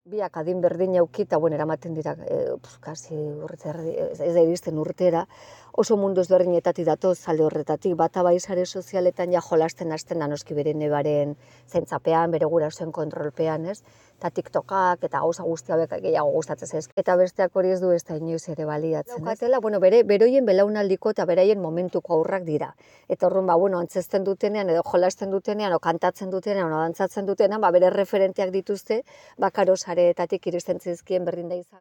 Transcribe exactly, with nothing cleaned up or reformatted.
Biak adin berdin auki eta bueno, eramaten dira, e, kasi urte erdi, ez da iristen urtera, oso mundu ezberdinetatik datoz alde horretatik, bata bai sare sozialetan ja jolasten hasten da noski bere nebaren zentzapean, bere gurasoen kontrolpean, ez? Eta TikTokak eta gauza guzti hauek gehiago gustatzen zaizkio. Eta besteak hori ez du ez da inoiz ere baliatzen. Daukatela, bueno, bere beroien belaunaldiko eta beraien momentuko aurrak dira. Eta orrun ba, bueno, antzesten dutenean edo jolasten dutenean o kantatzen dutenean o dantzatzen dutenean, ba bere referenteak dituzte, ba karo sareetatik iristen zaizkien berdin da izan.